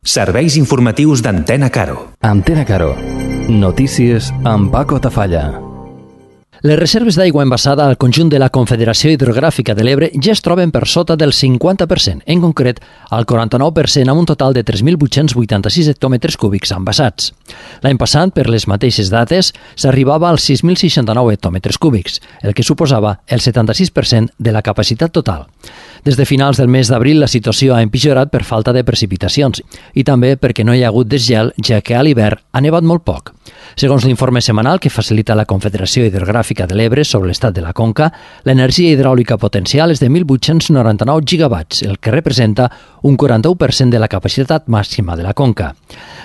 Serveis informatius d'Antena Caro. Antena Caro. Notícies amb Paco Tafalla. Les reserves d'aigua embassada al conjunt de la Confederació Hidrogràfica de l'Ebre ja es troben per sota del 50%, en concret al 49%, amb un total de 3.886 hectòmetres cúbics embassats. L'any passat, per les mateixes dates, s'arribava als 6.069 hectòmetres cúbics, el que suposava el 76% de la capacitat total. Des de finals del mes d'abril la situació ha empitjorat per falta de precipitacions i també perquè no hi ha hagut desgel, ja que a l'hivern ha nevat molt poc. Segons l'informe setmanal que facilita la Confederació Hidrogràfica de l'Ebre sobre l'estat de la conca, l'energia hidràulica potencial és de 1.899 gigawatts, el que representa un 41% de la capacitat màxima de la conca.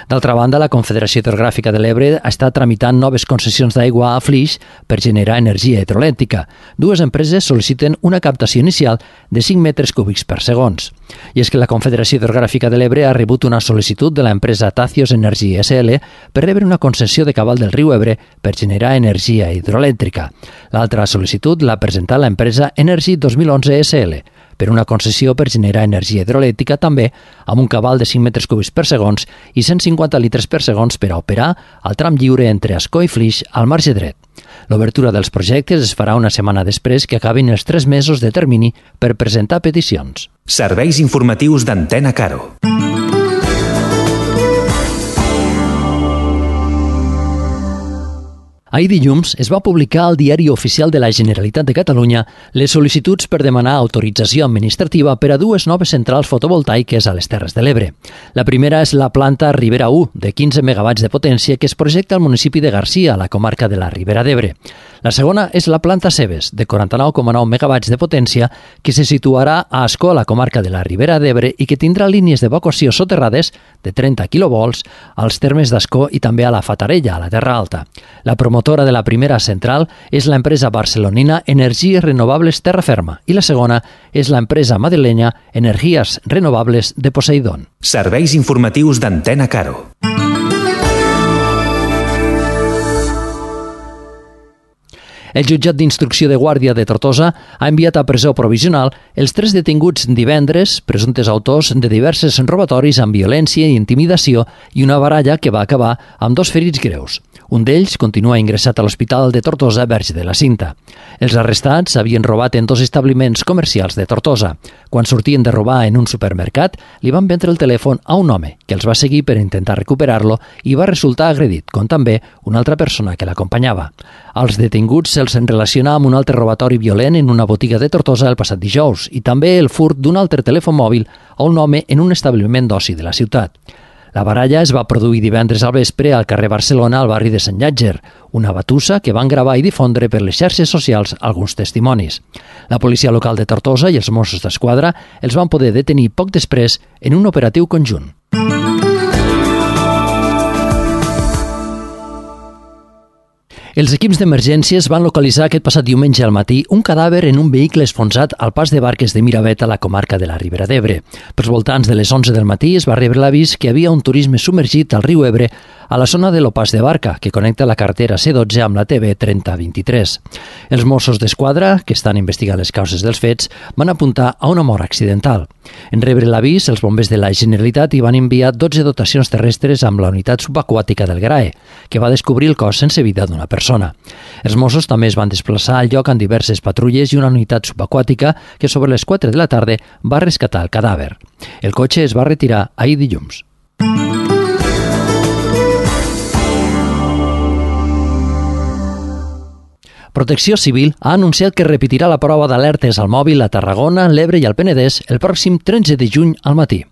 D'altra banda, la Confederació Hidrogràfica de l'Ebre està tramitant noves concessions d'aigua a Flix per generar energia hidroelèctrica. Dues empreses sol·liciten una captació inicial de 5 metres cúbics per segons. I és que la Confederació Hidrogràfica de l'Ebre ha rebut una sol·licitud de l'empresa Tacios Energy SL per rebre una concessió de cabal del riu Ebre per generar energia hidroelèctrica. L'altra sol·licitud l'ha presentat l'empresa Energy 2011 SL per una concessió per generar energia hidroelèctrica també amb un cabal de 5 metres cúbics per segons i 150 litres per segons per a operar al tram lliure entre Ascó i Flix al marge dret. L'obertura dels projectes es farà una setmana després que acabin els 3 mesos de termini per presentar peticions. Serveis informatius d'Antena Caro. Ahir dilluns es va publicar al Diari Oficial de la Generalitat de Catalunya les sol·licituds per demanar autorització administrativa per a dues noves centrals fotovoltaiques a les Terres de l'Ebre. La primera és la planta Ribera 1, de 15 megawatts de potència, que es projecta al municipi de Garcia, a la comarca de la Ribera d'Ebre. La segona és la planta Cebes, de 49,9 megawatts de potència, que se situarà a Ascó, a la comarca de la Ribera d'Ebre, i que tindrà línies d'evacuació soterrades de 30 quilovolts als termes d'Ascó i també a la Fatarella, a la Terra Alta. La promotora de la primera central és l'empresa barcelonina Energies Renovables Terraferma i la segona és l'empresa madrilenya Energías Renovables de Poseidón. Serveis informatius d'Antena Caro. El jutjat d'instrucció de Guàrdia de Tortosa ha enviat a presó provisional els 3 detinguts divendres, presumptes autors de diversos robatoris amb violència i intimidació i una baralla que va acabar amb 2 ferits greus. Un d'ells continua ingressat a l'Hospital de Tortosa Verge de la Cinta. Els arrestats havien robat en 2 establiments comercials de Tortosa. Quan sortien de robar en un supermercat, li van vendre el telèfon a un home que els va seguir per intentar recuperar-lo i va resultar agredit, com també una altra persona que l'acompanyava. Als detinguts se'ls relaciona amb un altre robatori violent en una botiga de Tortosa el passat dijous i també el furt d'un altre telèfon mòbil a un home en un establiment d'oci de la ciutat. La baralla es va produir divendres al vespre al carrer Barcelona, al barri de Sant Llàtzer, una batussa que van gravar i difondre per les xarxes socials alguns testimonis. La policia local de Tortosa i els Mossos d'Esquadra els van poder detenir poc després en un operatiu conjunt. Els equips d'emergències van localitzar aquest passat diumenge al matí un cadàver en un vehicle esfonsat al pas de barques de Miravet a la comarca de la Ribera d'Ebre. Pels voltants de les 11 del matí es va rebre l'avís que hi havia un turisme submergit al riu Ebre a la zona de l'Opàs de Barca, que connecta la carretera C12 amb la TV 3023. Els Mossos d'Esquadra, que estan investigant les causes dels fets, van apuntar a una mort accidental. En rebre l'avís, els bombers de la Generalitat hi van enviar 12 dotacions terrestres amb la unitat subaquàtica del GRAE, que va descobrir el cos sense vida d'una persona. Els Mossos també es van desplaçar al lloc amb diverses patrulles i una unitat subaquàtica que sobre les 4 de la tarda va rescatar el cadàver. El cotxe es va retirar ahir dilluns. Protecció Civil ha anunciat que repetirà la prova d'alertes al mòbil a Tarragona, l'Ebre i el Penedès el pròxim 13 de juny al matí.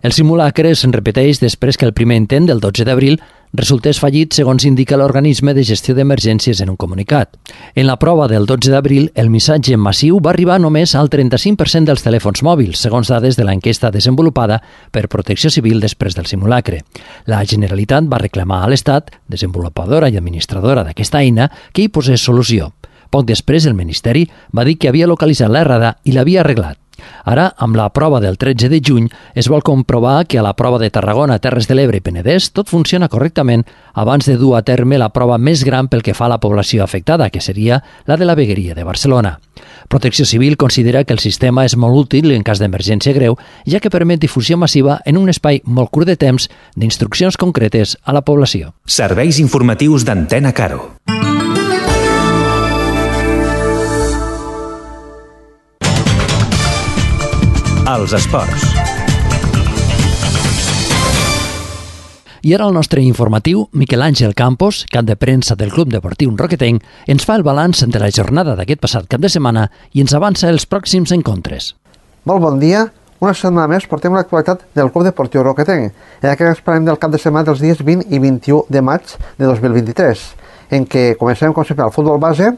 El simulacre es repeteix després que el primer intent del 12 d'abril resultés fallit, segons indica l'organisme de gestió d'emergències en un comunicat. En la prova del 12 d'abril, el missatge massiu va arribar només al 35% dels telèfons mòbils, segons dades de l'enquesta desenvolupada per Protecció Civil després del simulacre. La Generalitat va reclamar a l'Estat, desenvolupadora i administradora d'aquesta eina, que hi posés solució. Poc després, el Ministeri va dir que havia localitzat l'errada i l'havia arreglat. Ara, amb la prova del 13 de juny, es vol comprovar que a la prova de Tarragona, Terres de l'Ebre i Penedès tot funciona correctament abans de dur a terme la prova més gran pel que fa a la població afectada, que seria la de la Vegueria de Barcelona. Protecció Civil considera que el sistema és molt útil en cas d'emergència greu, ja que permet difusió massiva en un espai molt curt de temps d'instruccions concretes a la població. Serveis informatius d'Antena Caro. Els esports. I ara el nostre informatiu, Miquel Àngel Campos, cap de premsa del Club Deportiu Roquetenc, ens fa el balanç de la jornada d'aquest passat cap de setmana i ens avança els pròxims encontres. Molt bon dia. Una setmana més portem l'actualitat del Club Deportiu Roquetenc, en aquest cas parlem del cap de setmana dels dies 20 i 21 de maig de 2023, en què comencem com sempre al futbol base,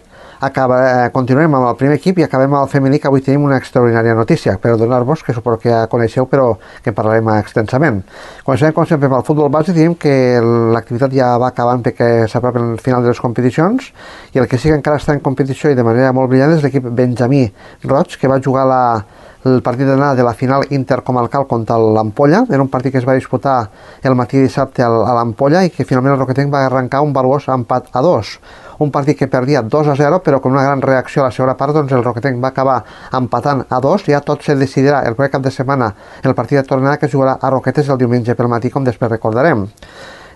continuem amb el primer equip i acabem amb el femení, que avui tenim una extraordinària notícia per donar-vos, que suposo que ja coneixeu però que parlarem extensament. Comencem com sempre amb el futbol base, diem que l'activitat ja va acabant perquè s'apropen el final de les competicions i el que sí que encara està en competició i de manera molt brillant és l'equip Benjamí Roig, que va jugar el partit d'anada de la final intercomarcal contra l'Ampolla, en un partit que es va disputar el matí dissabte a l'Ampolla i que finalment el Roquetenc va arrencar un valuós empat a 2. Un partit que perdia 2-0, però con una gran reacció a la segona part, doncs el Roquetenc va acabar empatant a 2. Ja tot se decidirà el proper cap de setmana el partit de tornada, que jugarà a Roquetes el diumenge pel matí, com després recordarem.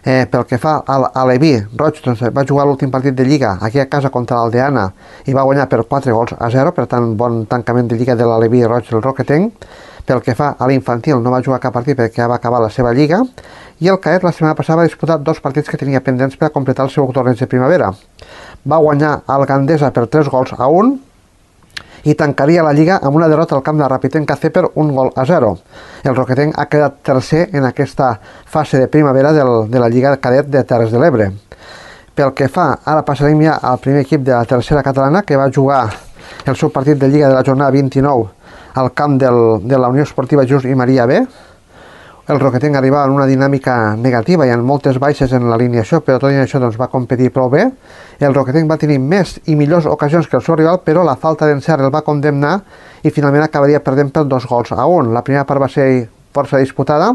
Pel que fa a l'Aleví, Roig doncs, va jugar l'últim partit de Lliga aquí a casa contra l'Aldeana i va guanyar per 4-0, per tant bon tancament de Lliga de l'Aleví Roig del Roquetenc. Pel que fa a l'infantil, no va jugar cap partit perquè ja va acabar la seva Lliga, i el cadet la setmana passada va disputar 2 partits que tenia pendents per a completar el seu torneig de primavera. Va guanyar el Gandesa per 3-1 i tancaria la Lliga amb una derrota al camp de Rapitenca C per 1-0. El Roquetenc ha quedat tercer en aquesta fase de primavera de la Lliga cadet de Terres de l'Ebre. Pel que fa, ara passarem ja al primer equip de la tercera catalana, que va jugar el seu partit de Lliga de la jornada 29 al camp de la Unió Esportiva Just i Maria B. El Roquetenc arribava en una dinàmica negativa i amb moltes baixes en l'alineació, però tot i això doncs, va competir prou bé. El Roquetenc va tenir més i millors ocasions que el seu rival, però la falta d'encert el va condemnar i finalment acabaria perdent per 2-1. La primera part va ser força disputada.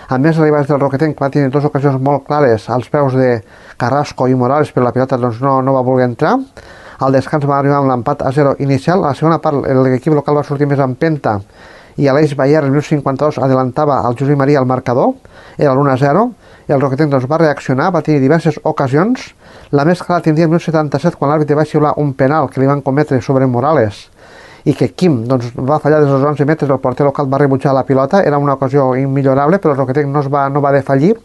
A més, els rivals del Roquetenc va tenir 2 ocasions molt clares als peus de Carrasco i Morales, però la pilota doncs, no va voler entrar. Al descans va arribar amb l'empat a 0 inicial. A la segona part l'equip local va sortir més en penta i Aleix Bayer, el 1052, adelantava al Josep Maria al marcador, era l'1-0, i el Roquetenc doncs, va reaccionar, va tenir diverses ocasions. La més clara tindria el 1077, quan l'àrbitre va xiular un penal que li van cometre sobre Morales, i que Quim doncs, va fallar des dels 11 metres, el porter local va rebutjar la pilota, era una ocasió immillorable, però el Roquetenc no va defallir.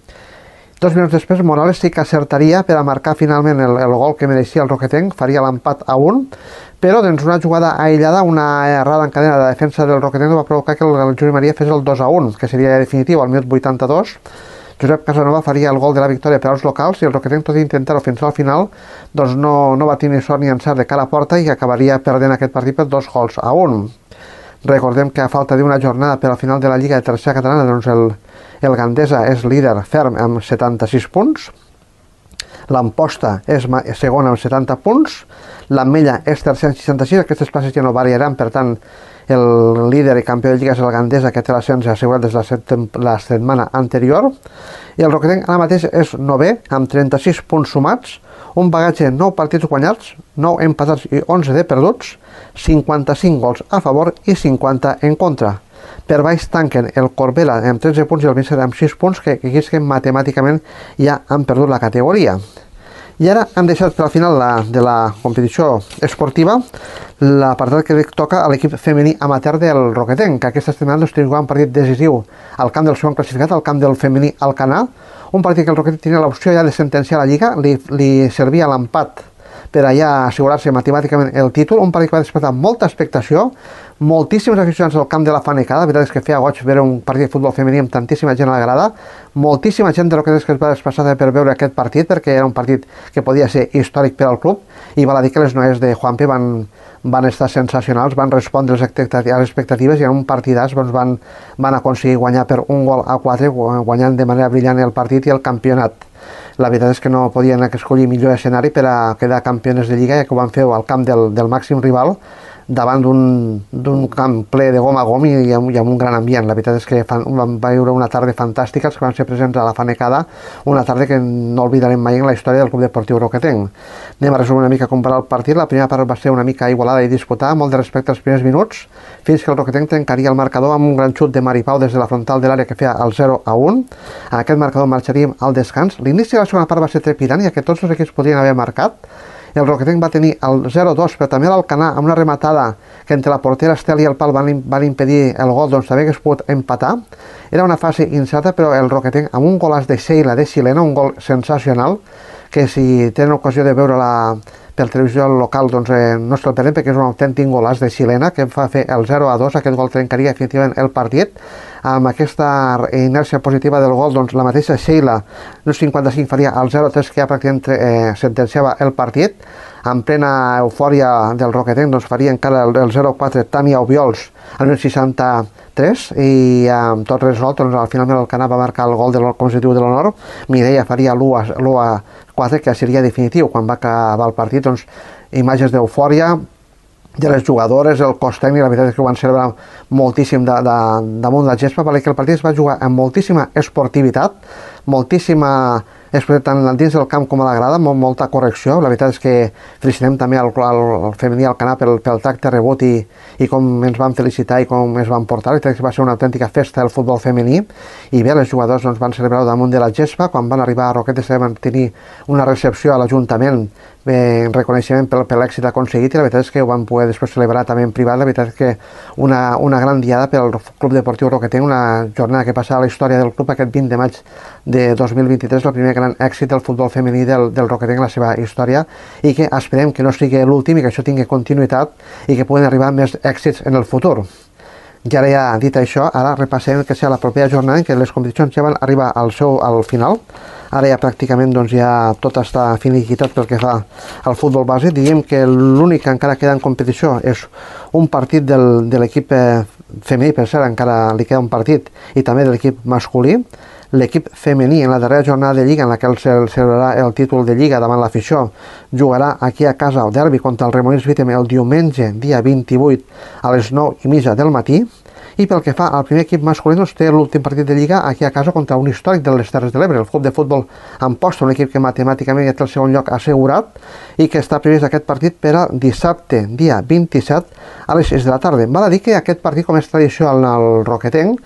2 minuts després, Morales sí que acertaria per a marcar finalment el gol que mereixia el Roquetenc, faria l'empat a 1, però doncs, una jugada aïllada, una errada en cadena de defensa del Roquetenc va provocar que el Josep Maria fes el 2-1, que seria definitiu al minut 82. Josep Casanova faria el gol de la victòria per als locals i el Roquetenc, tot i intentar-ho fins al final, doncs no va tenir sort ni encert de cara a porta i acabaria perdent aquest partit per 2-1. Recordem que a falta d'una jornada per al final de la Lliga de Tercera Catalana, doncs el Gandesa és líder ferm amb 76 punts, l'Amposta és segona amb 70 punts, l'Ametlla és tercer amb 66, aquestes places ja no variaran, per tant el líder i campió de Lliga és el Gandesa, que té l'ascens assegurat des de la setmana anterior, i el Roquetenc ara mateix és 9è amb 36 punts sumats, un bagatge de 9 partits guanyats, 9 empatats i 11 de perduts, 55 gols a favor i 50 en contra. Per baix tanquen el Corbera amb 13 punts i el Vícer amb 6 punts, que aquí és que matemàticament ja han perdut la categoria. I ara hem deixat per al final de la competició esportiva l'apartat que toca a l'equip femení amateur del Roquetenc, que aquesta setmana té un partit decisiu al camp del segon classificat, al camp del femení Alcanar, un partit que el Roquetenc tenia l'opció ja de sentenciar la Lliga, li servia l'empat per allà assegurar-se matemàticament el títol, un partit que va despertar molta expectació, moltíssims aficionats al camp de la Fanecada, la veritat és que feia goig veure un partit de futbol femení amb tantíssima gent a la grada, moltíssima gent de Roquetes que es va desplaçar per veure aquest partit, perquè era un partit que podia ser històric per al club, i val a dir que les noies de Juanpe van estar sensacionals, van respondre a les expectatives i en un partidàs doncs, van aconseguir guanyar per 1-4, guanyant de manera brillant el partit i el campionat. La veritat és que no podien escollir millor escenari per a quedar campiones de Lliga, ja que ho van fer al camp del màxim rival, davant d'un camp ple de gom a gom i amb un gran ambient. La veritat és que vam viure una tarda fantàstica, els que van ser presents a la Fanecada, una tarda que no oblidarem mai en la història del Club Deportiu Roquetenc. Anem a resumir una mica com va el partit. La primera part va ser una mica igualada i disputada, molt de respecte als primers minuts, fins que el Roquetenc trencaria el marcador amb un gran xut de Maripau des de la frontal de l'àrea que feia el 0-1. A aquest marcador marxaríem al descans. L'inici de la segona part va ser trepidant, ja que tots els equips podrien haver marcat. El Roquetenc va tenir el 0-2, però també l'Alcanar, amb una rematada que entre la portera Estel i el pal van impedir el gol, doncs també hagués pogut empatar. Era una fase incerta, però el Roquetenc, amb un golàs de Sheila de xilena, un gol sensacional, que si tenen ocasió de veure-la per televisió local, doncs no se'l perdem, perquè és un autèntic golàs de xilena que fa fer el 0-2. Aquest gol trencaria definitivament el partit. Amb aquesta inèrcia positiva del gol, doncs la mateixa Sheila, no 55, faria el 0-3, que ja pràcticament sentenciava el partit. En plena eufòria del Roquetenc, doncs faria encara el 0-4 Tània Obiols al 63, i amb tot resolt, doncs al final l'Alcanar va marcar el gol com se diu de l'honor. Mireia faria l'1-4, que seria definitiu. Quan va acabar el partit, doncs imatges d'eufòria de les jugadores, el cos tècnic, la veritat és que ho van celebrar moltíssim damunt la gespa, perquè el partit es va jugar amb moltíssima esportivitat, moltíssima tant dins del camp com a la grada, molta correcció. La veritat és que felicitem també al femení Alcanar pel tracte rebut i com ens van felicitar i com es van portar. La veritat és que va ser una autèntica festa del futbol femení, i bé, les jugadors doncs, van celebrar damunt de la gespa. Quan van arribar a Roquetes van tenir una recepció a l'Ajuntament en reconeixement per l'èxit aconseguit, i la veritat és que ho van poder després celebrar també en privat. La veritat és que una gran diada pel Club Deportiu Roquetenc, una jornada que passava a la història del club aquest 20 de maig de 2023, el primer gran èxit del futbol femení del Roquetenc en la seva història, i que esperem que no sigui l'últim i que això tingui continuïtat i que puguen arribar més èxits en el futur. I ara ja dit això, ara repassem que serà la propera jornada en què les competicions ja van arribar al final. Ara ja pràcticament doncs, ja tot està finiquitat pel que fa al futbol base. Diríem que l'únic que encara queda en competició és un partit de l'equip femení, per cert, encara li queda un partit, i també de l'equip masculí. L'equip femení, en la darrera jornada de Lliga, en la que celebrarà el títol de Lliga davant l'afició, jugarà aquí a casa el derbi contra el Remolins Vítem el diumenge, dia 28, a les 9:30 del matí. I pel que fa al primer equip masculí, doncs té l'últim partit de Lliga aquí a casa contra un històric de les Terres de l'Ebre, el Club de Futbol Amposta, un equip que matemàticament ja té el segon lloc assegurat i que està previst aquest partit per a dissabte, dia 27, a les 6 de la tarda. Val a dir que aquest partit, com és tradició al Roquetenc,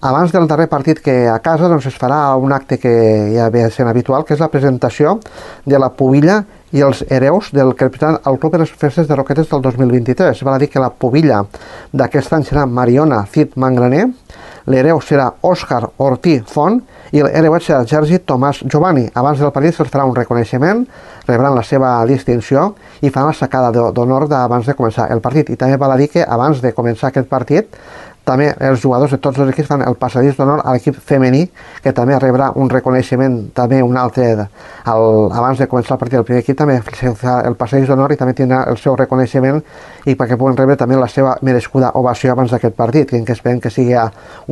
abans del darrer partit que a casa doncs, es farà un acte que ja ve sent habitual, que és la presentació de la pubilla i els hereus del que representen el club en les festes de Roquetes del 2023. Val a dir que la pubilla d'aquest any serà Mariona Cid Mangraner, l'hereu serà Òscar Ortí Font i l'hereuet serà Sergi Tomàs Giovanni. Abans del partit se'ls farà un reconeixement, rebran la seva distinció i faran la sacada d'honor abans de començar el partit. I també val a dir que abans de començar aquest partit també els jugadors de tots els equips fan el passadís d'honor a l'equip femení, que també rebrà un reconeixement, també un altre, abans de començar el partit. El primer equip també fa el passadís d'honor i també tindrà el seu reconeixement, i perquè puguen rebre també la seva merescuda ovació abans d'aquest partit, que esperem que sigui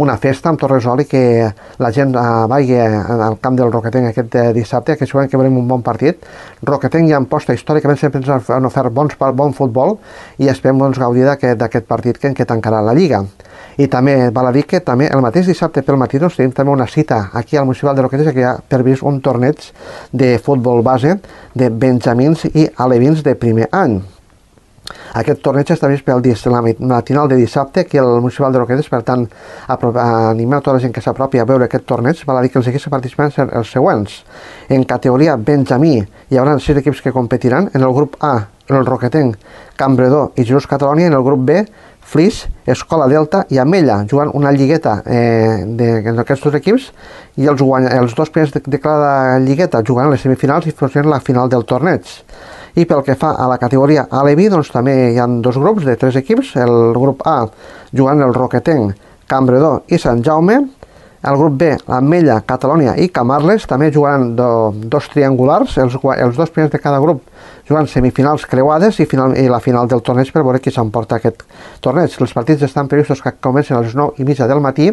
una festa amb tot resol i que la gent vagi al camp del Roquetenc aquest dissabte, que segurament que veurem un bon partit. Roquetenc i Amposta històricament sempre ens han ofert bon futbol, i esperem doncs, gaudir d'aquest partit que tancarà la Lliga. I també val a dir que també el mateix dissabte pel matí doncs, tenim també una cita aquí al Municipal de Roquetes, que hi ha previst un torneig de futbol base de benjamins i alevins de primer any. Aquest torneig està vist pel la matinal de dissabte aquí al Municipal de Roquetes. Per tant, animar a tota la gent que s'apropi a veure aquest torneig. Val a dir que els equips que participaran seran els següents. En categoria benjamí hi haurà 6 equips que competiran. En el grup A, el Roquetenc, Campredó i Jesús Catalònia. En el grup B, Flix, Escola Delta i Amella, jugant una lligueta d'aquests dos equips, i els dos primers de cada lligueta jugaran les semifinals i faran la final del torneig. I pel que fa a la categoria Alevi, doncs també hi ha 2 grups de 3 equips. El grup A jugant el Roquetenc, Campredó i Sant Jaume. El grup B, Ametlla, Catalònia i Camarles, també jugaran 2 triangulars, els 2 primers de cada grup jugant semifinals creuades i la final del torneig per veure qui s'emporta aquest torneig. Els partits estan previstos que comencen a les 9:30 del matí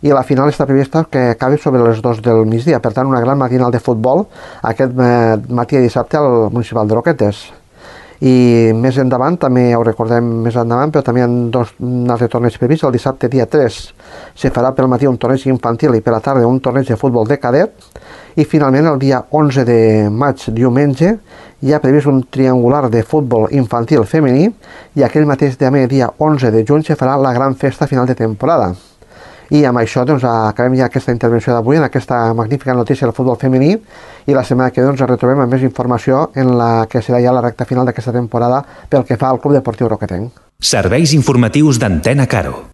i la final està prevista que acabi sobre les 2 del migdia. Per tant, una gran matinal de futbol aquest matí de dissabte al Municipal de Roquetes. I més endavant, també ho recordem més endavant, però també hi ha un altre torneig previst. El dissabte dia 3 se farà pel matí un torneig infantil i per la tarda un torneig de futbol de cadet. I finalment el dia 11 de maig, diumenge, hi ha previst un triangular de futbol infantil femení i aquell mateix dia 11 de juny se farà la gran festa final de temporada. I amb això acabem ja aquesta intervenció d'avui en aquesta magnífica notícia del futbol femení i la setmana que ve ens retrobem amb més informació en la que serà ja la recta final d'aquesta temporada pel que fa al Club Deportiu Roquetenc. Serveis informatius d'Antena Caro.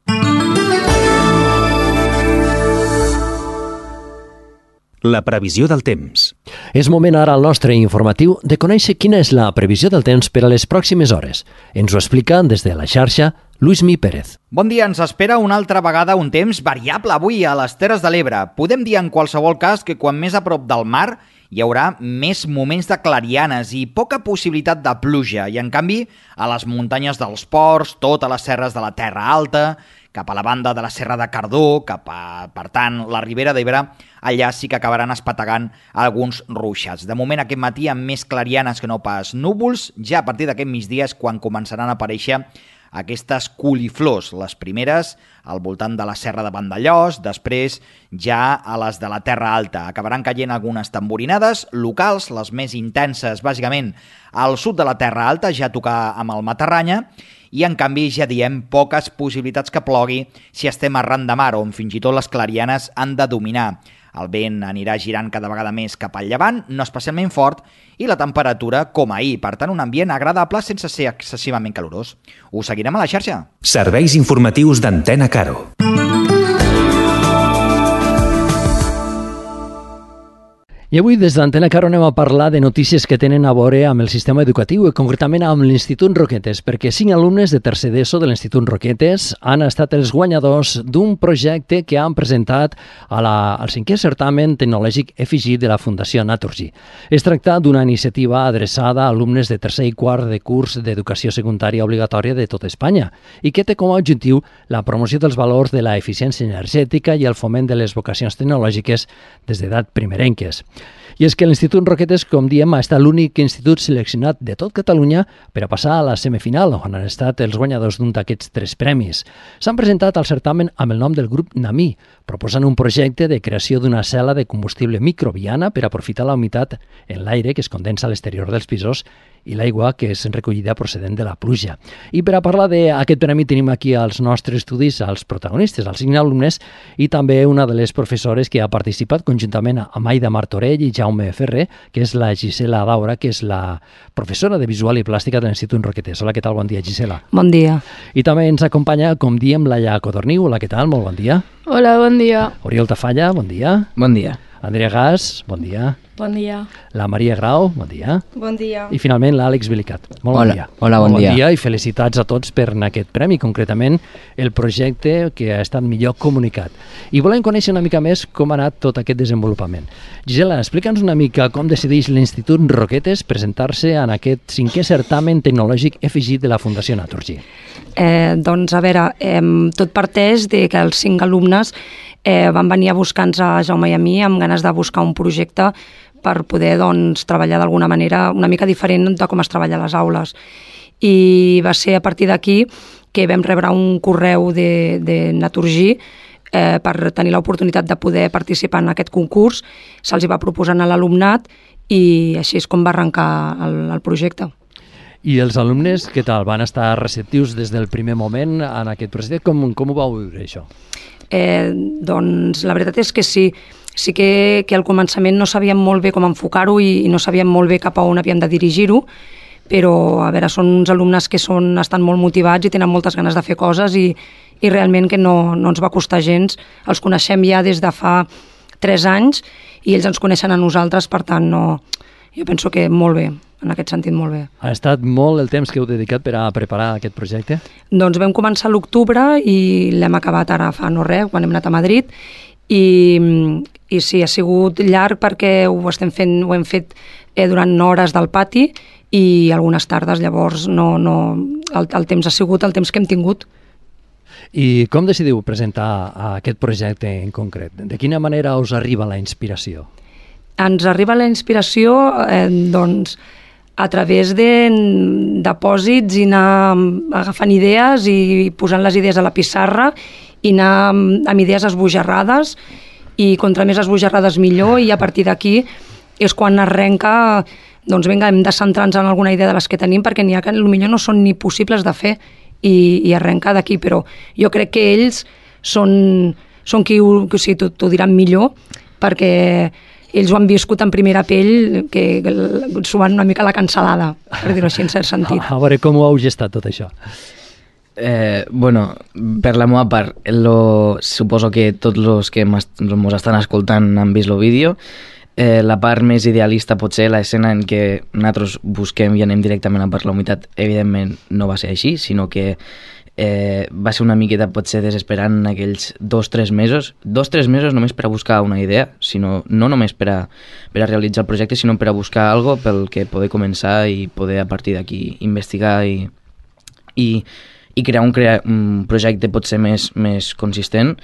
La previsió del temps. És moment ara al nostre informatiu de conèixer quina és la previsió del temps per a les pròximes hores. Ens ho explica des de la xarxa Luismi Pérez. Bon dia, ens espera una altra vegada un temps variable avui a les Terres de l'Ebre. Podem dir en qualsevol cas que quan més a prop del mar hi haurà més moments de clarianes i poca possibilitat de pluja. I en canvi, a les muntanyes dels Ports, totes les serres de la Terra Alta, cap a la banda de la Serra de Cardó, per tant, la Ribera d'Ebre, allà sí que acabaran espetegant alguns ruixats. De moment, aquest matí, amb més clarianes que no pas núvols, ja a partir d'aquest migdia és quan començaran a aparèixer aquestes coliflors, les primeres al voltant de la Serra de Vandellòs, després ja a les de la Terra Alta. Acabaran caient algunes tamborinades locals, les més intenses, bàsicament, al sud de la Terra Alta, ja a tocar amb el Matarranya, i en canvi ja diem poques possibilitats que plogui si estem arran de mar, on fins i tot les clarianes han de dominar. El vent anirà girant cada vegada més cap al llevant, no especialment fort, i la temperatura com ahir. Per tant, un ambient agradable sense ser excessivament calorós. Us seguirem a la xarxa. Serveis informatius d'Antena Caro. I avui des d'Antena Caro anem a parlar de notícies que tenen a veure amb el sistema educatiu i concretament amb l'Institut Roquetes, perquè 5 alumnes de tercer d'ESO de l'Institut Roquetes han estat els guanyadors d'un projecte que han presentat al 5è certamen tecnològic EFIGI de la Fundació Naturgy. Es tracta d'una iniciativa adreçada a alumnes de tercer i quart de curs d'educació secundària obligatòria de tota Espanya i que té com a objectiu la promoció dels valors de la eficiència energètica i el foment de les vocacions tecnològiques des d'edat primerenques. I és que l'Institut Roquetes, com diem, ha estat l'únic institut seleccionat de tot Catalunya per a passar a la semifinal, on han estat els guanyadors d'un d'aquests 3 premis. S'han presentat al certamen amb el nom del grup NAMI, proposant un projecte de creació d'una cel·la de combustible microbiana per aprofitar la humitat en l'aire que es condensa a l'exterior dels pisos i l'aigua que és recollida procedent de la pluja. I per a parlar d'aquest premi tenim aquí als nostres estudis els protagonistes, els 5 alumnes, i també una de les professores que ha participat conjuntament amb Aida Martorell i Jaume Ferrer, que és la Gisela Daura, que és la professora de Visual i Plàstica de l'Institut Roquetes. Hola, què tal? Bon dia, Gisela. Bon dia. I també ens acompanya, com diem, Laia Codorniu. Hola, què tal? Molt bon dia. Hola, bon dia. Oriol Tafalla, bon dia. Bon dia. Andrea Gas, bon dia. Bon dia. La Maria Grau, bon dia. Bon dia. I finalment l'Àlex Bilicat. Molt bon dia. Hola, bon dia. Bon dia i felicitats a tots per aquest premi, concretament el projecte que ha estat millor comunicat. I volem conèixer una mica més com ha anat tot aquest desenvolupament. Gisela, explica'ns una mica com decideix l'Institut Roquetes presentar-se en aquest 5è certamen tecnològic EFIGI de la Fundació Naturgy. Doncs, a veure, tot parteix de que els 5 alumnes van venir a buscar-nos a Jaume i a mi amb ganes de buscar un projecte per poder treballar d'alguna manera una mica diferent de com es treballa a les aules. I va ser a partir d'aquí que vam rebre un correu de Naturgy per tenir l'oportunitat de poder participar en aquest concurs. Se'ls va proposar a l'alumnat i així és com va arrencar el projecte. I els alumnes, què tal? Van estar receptius des del primer moment en aquest projecte? Com ho vau viure, això? Doncs la veritat és que sí. Sí que al començament no sabíem molt bé com enfocar-ho i no sabíem molt bé cap a on havíem de dirigir-ho, però a veure, són uns alumnes que estan molt motivats i tenen moltes ganes de fer coses i realment que no ens va costar gens. Els coneixem ja des de fa 3 anys i ells ens coneixen a nosaltres, per tant, jo penso que molt bé. En aquest sentit, molt bé. Ha estat molt el temps que heu dedicat per a preparar aquest projecte? Doncs vam començar a l'octubre i l'hem acabat ara fa no res, quan hem anat a Madrid, i sí, ha sigut llarg perquè ho hem fet durant hores del pati i algunes tardes, llavors el temps ha sigut el temps que hem tingut. I com decidiu presentar aquest projecte en concret? De quina manera us arriba la inspiració? Ens arriba la inspiració, doncs, a través de depòsits i anar agafant idees i posant les idees a la pissarra i anar amb idees esbojarrades, i contra més esbojarrades millor, i a partir d'aquí és quan arrenca, doncs vinga, hem de centrar-nos en alguna idea de les que tenim, perquè n'hi ha que potser no són ni possibles de fer, i arrenca d'aquí. Però jo crec que ells són qui t'ho diran millor, perquè ells ho han viscut en primera pell, que s'ho van una mica a la cansalada, per dir-ho així, en cert sentit. A veure, com ho heu gestat tot això? Bueno, per la meva part, suposo que tots els que ens estan escoltant han vist el vídeo. La part més idealista pot ser l'escena en què nosaltres busquem i anem directament a per la humitat. Evidentment no va ser així, sinó que va ser una miqueta potser desesperant en aquells 2-3 mesos. 2-3 mesos només per a buscar una idea, sinó no només per a realitzar el projecte, sinó per a buscar alguna cosa pel que poder començar i poder a partir d'aquí investigar i crear un projecte potser més consistent.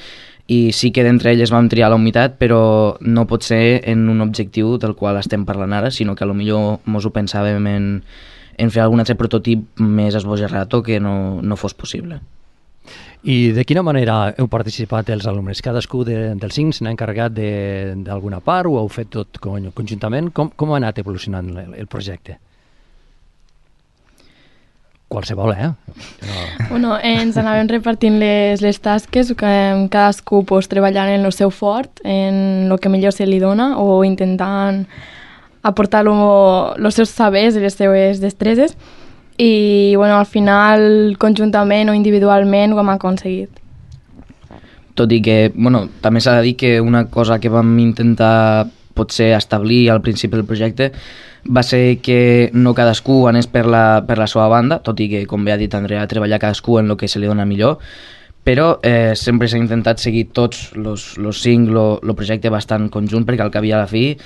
I sí que d'entre elles vam triar la humitat, però no pot ser en un objectiu del qual estem parlant ara, sinó que potser mos ho pensàvem en fer algun altre prototip més esbojarrat o que no fos possible. I de quina manera heu participat els alumnes? Cadascú dels 5 s'ha encarregat d'alguna part o heu fet tot conjuntament? Com ha anat evolucionant el projecte? Qualsevol, Bueno, ens anàvem repartint les tasques, cadascú treballant en el seu fort, en el que millor se li dona, o intentant aportar els seus sabers i les seues destreses, i bueno, al final, conjuntament o individualment, ho hem aconseguit. Tot i que, també s'ha de dir que una cosa que vam intentar potser establir al principi del projecte va ser que no cadascú anés per la seva banda, tot i que, com bé ha dit Andrea, treballar cadascú en el que se li dona millor, però sempre s'ha intentat seguir tots els 5 el projecte bastant conjunt, perquè al cap i a la fi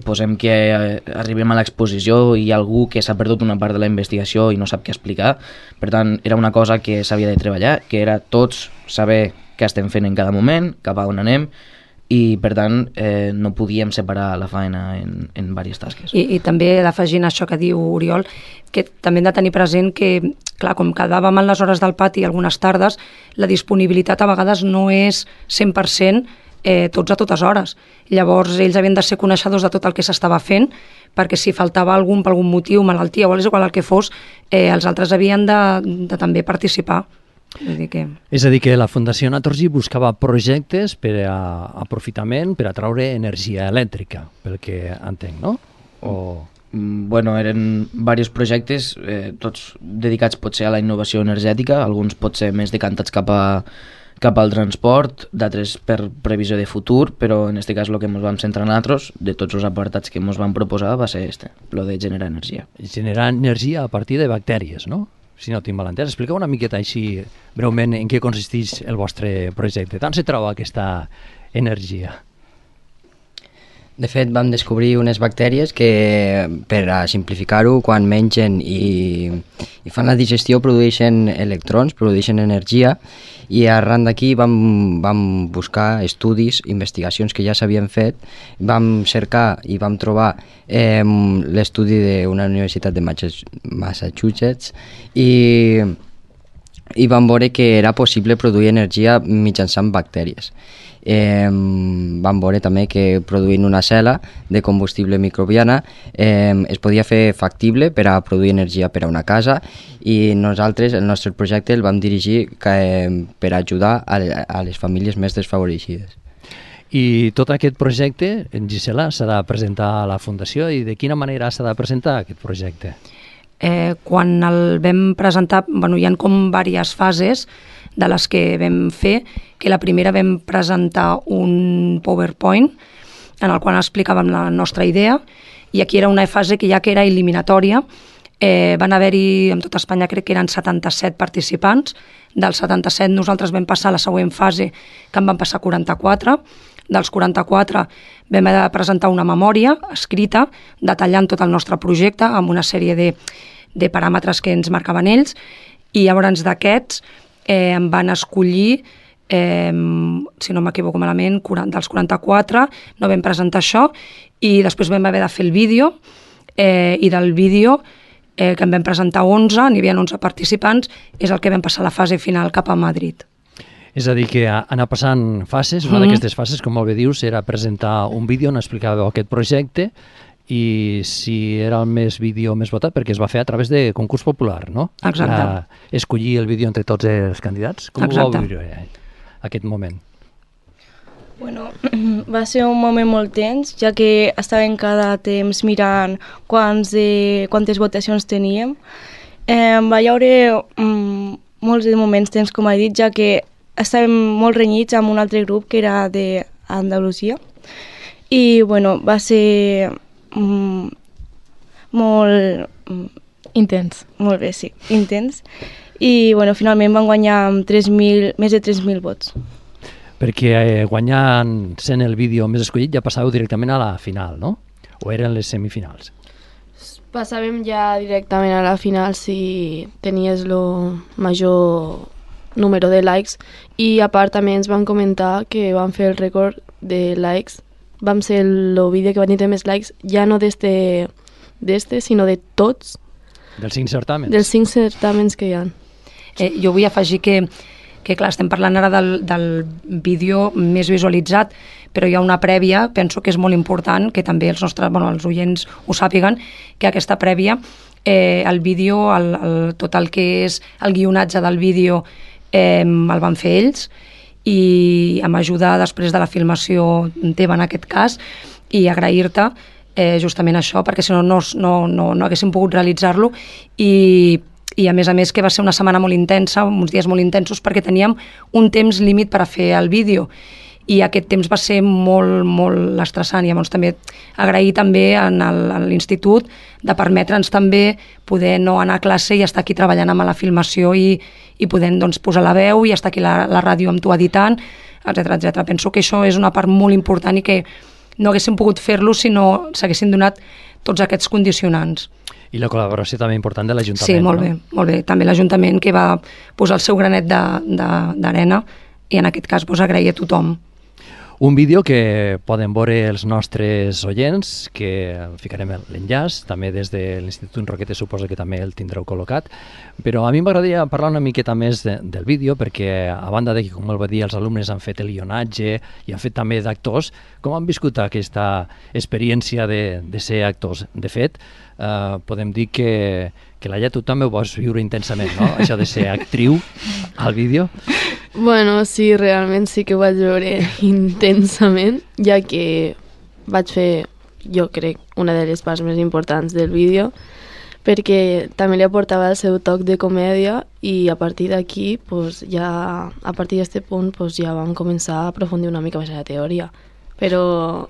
posem que arribem a l'exposició i hi ha algú que s'ha perdut una part de la investigació i no sap què explicar. Per tant, era una cosa que s'havia de treballar, que era tots saber què estem fent en cada moment, cap a on anem, i per tant no podíem separar la feina en diverses tasques. I també d'afegint això que diu Oriol, que també hem de tenir present que, clar, com quedàvem en les hores del pati algunes tardes, la disponibilitat a vegades no és 100% tots a totes hores. Llavors ells havien de ser coneixedors de tot el que s'estava fent, perquè si faltava algun per algun motiu, malaltia o és igual el que fos, els altres havien de també participar. És a dir, que la Fundació Naturgy buscava projectes per a aprofitament, per a traure energia elèctrica, pel que entenc, no? Bueno, eren diversos projectes, tots dedicats potser a la innovació energètica, alguns potser més decantats cap al transport, d'altres per previsió de futur, però en aquest cas el que ens vam centrar nosaltres, de tots els apartats que ens vam proposar, va ser el de generar energia. Generar energia a partir de bactèries, no? Si no tinc mal entès, expliqueu una miqueta així breument en què consisteix el vostre projecte. Tant se troba aquesta energia? De fet, vam descobrir unes bactèries que, per a simplificar-ho, quan mengen i fan la digestió produeixen electrons, produeixen energia, i arran d'aquí vam buscar estudis, investigacions que ja s'havien fet, vam cercar i vam trobar l'estudi d'una universitat de Massachusetts i vam veure que era possible produir energia mitjançant bactèries. Vam veure també que produint una cel·la de combustible microbiana es podia fer factible per a produir energia per a una casa, i nosaltres el nostre projecte el vam dirigir per ajudar a les famílies més desfavorides. I tot aquest projecte, Gisela, s'ha de presentar a la Fundació, i de quina manera s'ha de presentar aquest projecte? Quan el vam presentar, hi ha com diverses fases de les que vam fer, que la primera vam presentar un PowerPoint en el qual explicàvem la nostra idea, i aquí era una fase que ja que era eliminatòria. Van haver-hi, en tot Espanya crec que eren 77 participants, dels 77 nosaltres vam passar a la següent fase, que en van passar 44, dels 44 vam haver de presentar una memòria escrita detallant tot el nostre projecte amb una sèrie de paràmetres que ens marcaven ells, i llavors d'aquests em van escollir, si no m'equivoco malament, dels 44, no vam presentar això, i després vam haver de fer el vídeo, i del vídeo, que en vam presentar 11, n'hi havia 11 participants, és el que vam passar a la fase final cap a Madrid. És a dir, que anar passant fases, una d'aquestes fases, com molt bé dius, era presentar un vídeo on explicàveu aquest projecte i si era el vídeo més votat, perquè es va fer a través de concurs popular, no? Exacte. Escollir el vídeo entre tots els candidats. Com ho vau viure aquest moment? Bueno, va ser un moment molt tens, ja que estàvem cada temps mirant quantes votacions teníem. Va haver molts de moments tens, com he dit, ja que estàvem molt renyits amb un altre grup que era d'Andalusia. I, bueno, va ser molt... intens. Molt bé, sí, intens. I, bueno, finalment van guanyar amb més de 3.000 vots. Perquè guanyant sent el vídeo més escollit ja passàveu directament a la final, no? O eren les semifinals? Passàvem ja directament a la final si tenies el major número de likes i a part també ens van comentar que van fer el rècord de likes. Vam ser el vídeo que va tenir més likes ja no d'este, sinó de tots. Dels 5 certàmens? Dels 5 certàmens que hi ha. Jo vull afegir que clar, estem parlant ara del vídeo més visualitzat, però hi ha una prèvia, penso que és molt important, que també els oients ho sàpiguen, que aquesta prèvia, el vídeo, tot el que és el guionatge del vídeo, el van fer ells, i amb ajuda després de la filmació teva en aquest cas, i agrair-te justament això, perquè si no haguéssim pogut realitzar-lo, i a més que va ser una setmana molt intensa, uns dies molt intensos, perquè teníem un temps límit per a fer el vídeo, i aquest temps va ser molt, molt estressant. Llavors també agrair també a l'institut de permetre'ns també poder no anar a classe i estar aquí treballant amb la filmació i poder posar la veu i estar aquí a la ràdio amb tu editant, etc. Penso que això és una part molt important i que no haguéssim pogut fer-lo si no s'haguessin donat tots aquests condicionants. I la col·laboració també important de l'Ajuntament. Sí, molt bé. També l'Ajuntament que va posar el seu granet d'arena i en aquest cas agrair a tothom. Un vídeo que poden veure els nostres oients, que ficarem l'enllaç, també des de l'Institut Roquetes suposo que també el tindreu col·locat, però a mi m'agradaria parlar una miqueta més del vídeo, perquè a banda de que, com el va dir, els alumnes han fet el guionatge i han fet també d'actors, com han viscut aquesta experiència de ser actors? De fet, podem dir que Laia, tu també ho vas viure intensament, no? Això de ser actriu al vídeo. Bueno, sí, realment sí que ho vaig veure intensament, ja que vaig fer, jo crec, una de les parts més importants del vídeo, perquè també li aportava el seu toc de comèdia i a partir d'aquí, a partir d'aquest punt, ja vam començar a aprofundir una mica més en la teoria. Però...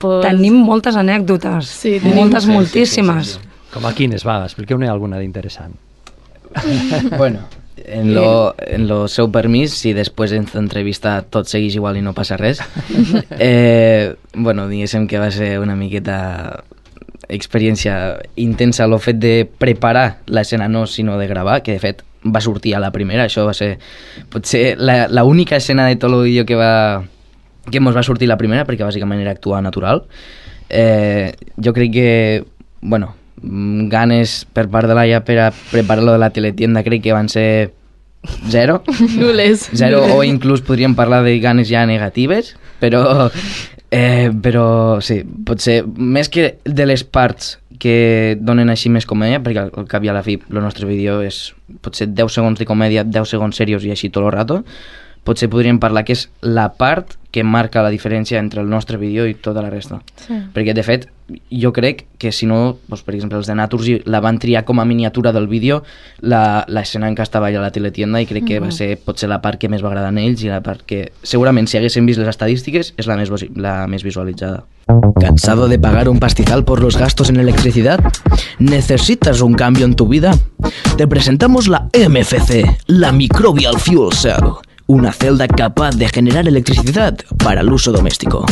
Tenim moltes anècdotes, sí, moltíssimes. Sí. Com a quines? Va, expliqueu-ne alguna d'interessant. Bueno, en lo seu permís, si després en l'entrevista tot segueix igual i no passa res, bueno, diguéssim que va ser una miqueta experiència intensa el fet de preparar l'escena, no sinó de gravar, que de fet va sortir a la primera. Això va ser potser l'única escena de tot el vídeo que mos va sortir la primera, perquè bàsicament era actuar natural. Jo crec que, bueno, ganes per part de Laia per a preparar-lo de la teletienda crec que van ser zero. Nules. Zero, o inclús podríem parlar de ganes ja negatives, però sí, potser més que de les parts que donen així més comèdia, perquè al cap i a la fi el nostre vídeo és potser 10 segons de comèdia, 10 segons serios i així tot el rato, potser podríem parlar que és la part que marca la diferència entre el nostre vídeo i tota la resta. Sí. Perquè, de fet, jo crec que si no, doncs, per exemple, els de Naturgy la van triar com a miniatura del vídeo l'escena en què estava allà a la teletienda i crec que va ser potser la part que més va agradar a ells i la part que, segurament, si haguéssim vist les estadístiques, és la més visualitzada. ¿Cansado de pagar un pastizal por los gastos en electricidad? ¿Necesitas un cambio en tu vida? Te presentamos la MFC, la Microbial Fuel Cell, una celda capaz de generar electricidad para el uso doméstico.